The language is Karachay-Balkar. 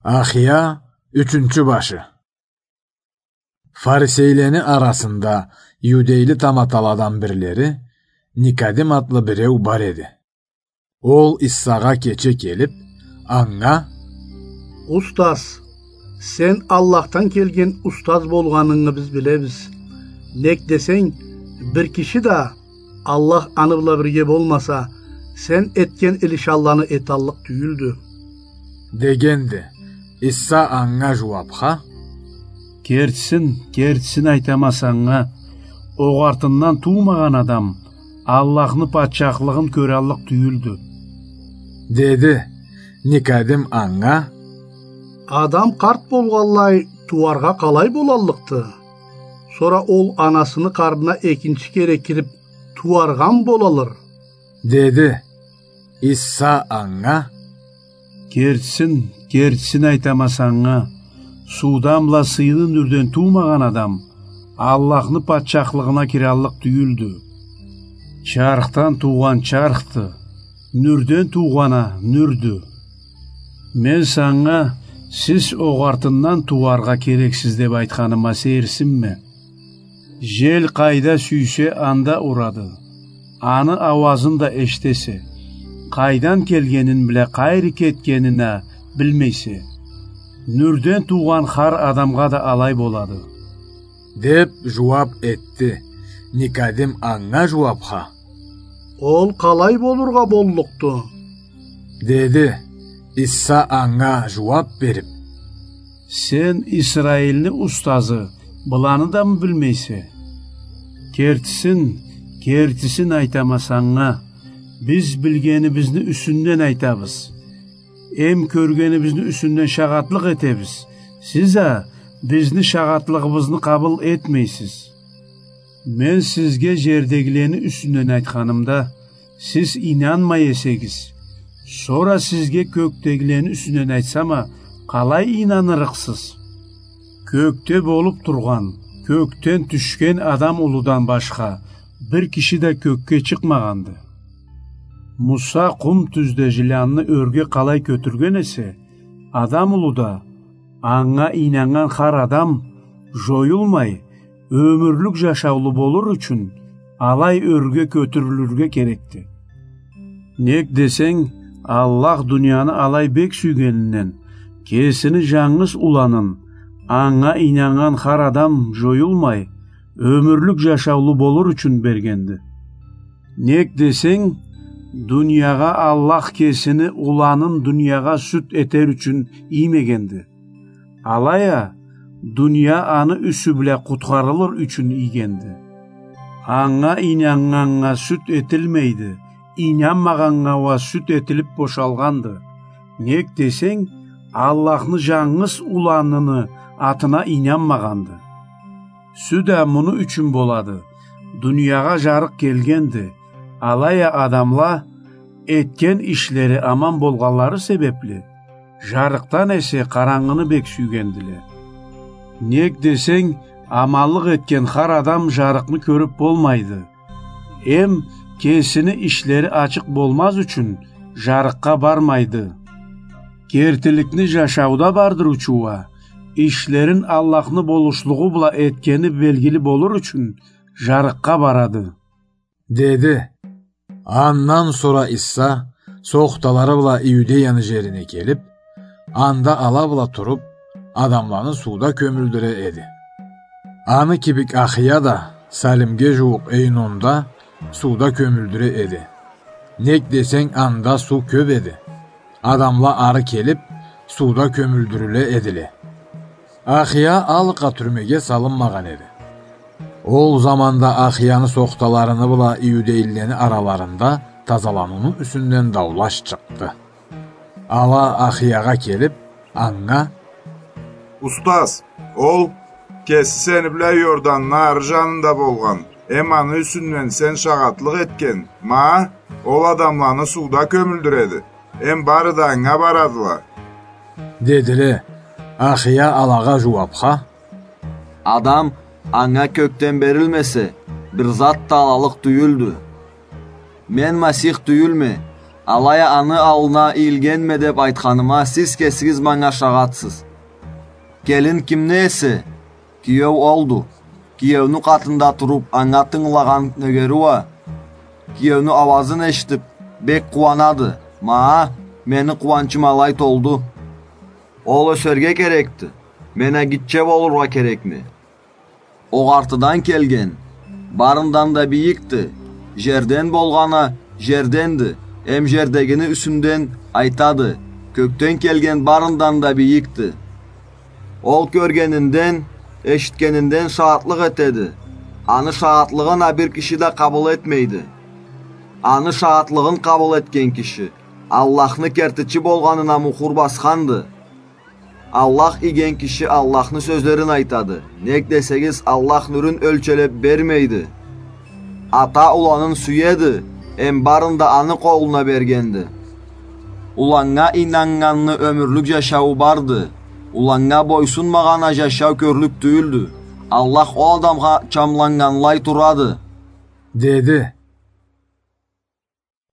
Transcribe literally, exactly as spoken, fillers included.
Ахия, ючюнчю башы. Фарисейлени арасында иудейли таматаладан бирлери Никодим атлы биреу бар эди. Ол Иссагъа кече келип, анга: «Устаз, сен Аллахдан келген устаз болгъанынгы биз билебиз. Нек десенг, бир киши да, Аллах аны бла бирге болмаса, сен этген илишанланы эталлыкъ тюйюлдю», — дегенди. Иса анга жууапха: «Кертисин, кертисин айтама санга, огъартындан туумагъан адам Аллахны патчахлыгъын кёраллыкъ тюйюлдю», — деди. Никодим анга: «Адам къарт болгъанлай тууаргъа къалай болаллыкъды? Сора ол анасыны къарнына экинчи кере кирип, тууаргъамы болалыр?» — деди. Иса анга: «Кертисин, кертисин айтама санга, суудан бла сыйлы нюрден туумагъан адам Аллахны патчахлыгъына кираллыкъ тюйюлдю. Чархдан туугъан чархды, нюрден туугъан а нюрдю. Мен санга, сиз огъартындан тууаргъа керексиз деп айтханыма сейирсинме. Жел къайда сюйсе, анда урады. Аны ауазын да эшитесе, къайдан келгенин бла къайры кетгенин а билмейсе. Нюрден туугъан хар адамгъа да алай болады», — деп жууап этди. Никодим анга жууапха: «Ол къалай болургъа боллукъду?» — деди. Иса анга жууап берип: «Сен, Исраилни устазы, быланы дамы билмейсе? Кертисин, кертисин айтама санга, биз билгенибизни юсюнден айтабыз. Эм кёргенибизни юсюнден шагъатлыкъ этебиз. Сиз а бизни шагъатлыгъыбызны къабыл этмейсиз. Мен сизге жердегилени юсюнден айтханымда, сиз ийнанмай эсегиз, сора сизге кёкдегилени юсюнден айтсам а, къалай ийнанырыкъсыз? Кёкде болуп тургъан, кёкден тюшген Адам улудан башха бир киши да кёкге чыкъмагъанды. Муса къум тюзде жыланны ёрге къалай кётюрген эсе, Адам улу да, анга ийнаннган хар адам жоюлмай, ёмюрлюк жашаулу болур ючюн, алай ёрге кётюрюлюрге керекди. Нек десенг, Аллах дунияны алай бек сюйгенинден, кесини жангыз уланын, анга ийнаннган хар адам жоюлмай, ёмюрлюк жашаулу болур ючюн бергенди. Нек десенг, дуниягъа Аллах кесини уланын дуниягъа сюд этер ючюн иймегенди. Алай а, дуния аны юсю бла къутхарылыр ючюн ийгенди. Анга ийнаннганнга сюд этилмейди, ийнанмагъаннга уа сюд этилип бошалгъанды. Нек десенг, Аллахны жангыз уланыны атына ийнанмагъанды. Сюд а муну ючюн болады: дуниягъа жарыкъ келгенди, алай а адамла, этген ишлери аман болгъанлары себепли, жарыкъдан эсе къарангыны бек сюйгендиле. Нек десенг, аманлыкъ этген хар адам жарыкъны кёрюп болмайды. Эм кесини ишлери ачыкъ болмаз ючюн жарыкъгъа бармайды. Кертиликни жашауда бардырыучу уа, ишлерин Аллахны болушлугъу бла этгени белгили болур ючюн, жарыкъгъа барады», — деди. Андан сора Иса сохталары бла Иудеяны жерине келип, анда ала бла туруп, адамланы сууда кёмюлдюре эди. Аны кибик Ахия да Салимге жууукъ Эйнонда сууда кёмюлдюре эди. Нек десенг, анда суу кёп эди. Адамла ары келип, сууда кёмюлдюрюле эдиле. Ахия алыкъа тюрмеге салынмагъан эди. Ол заманда Ахияны сохталарыны бла иудейлилени араларында тазаланыуну юсюнден даулаш чыкъды. Ала Ахиягъа келип, анга: «Устаз, ол кеси сени бла Иорданны ары жанында болгъан, эм аны юсюнден сен шагъатлыкъ этген, ма, ол адамланы сууда кёмюлдюреди, эм бары да анга барадыла», — дедиле. Ахия алагъа жууапха: «Адам анга кёкден берилмесе, бир зат да алалыкъ тюйюлдю. Мен Масих тюйюлме, Алай а аны аллына ийилгенме деп айтханыма сиз кесигиз манга шагъатсыз. Келин кимни эсе, киеу олду. Киеуню къатында туруп, анга тынгылагъан нёгери уа киеуню ауазын эшитип, бек къууанады. Ма, мени къууанчым алай толду. Ол ёсерге керекди. Мен а гитче болургъа керекме? Огъартыдан келген барындан да бийикди. Жерден болгъан а жерденди. Эм жердегини юсюнден айтады: кёкден келген барындан да бийикди. Ол кёргенинден, эшитгенинден шагъатлыкъ этеди. Аны шагъатлыгъын а бир киши да къабыл этмейди. Аны шагъатлыгъын къабыл этген киши Аллахны кертичи болгъанына мухур басханды. Аллах ийген киши Аллахны сёзлерин айтады. Нек десегиз, Аллах нюрюн ёлчелеп бермейди. Ата уланын сюеди, эм барын да аны къолуна бергенди. Уланнга ийнаннганны ёмюрлюк жашауу барды. Уланнга бойсунмагъан а жашау кёрлюк тюйюлдю. Аллах ол адамгъа чамланнганлай турады. Деди: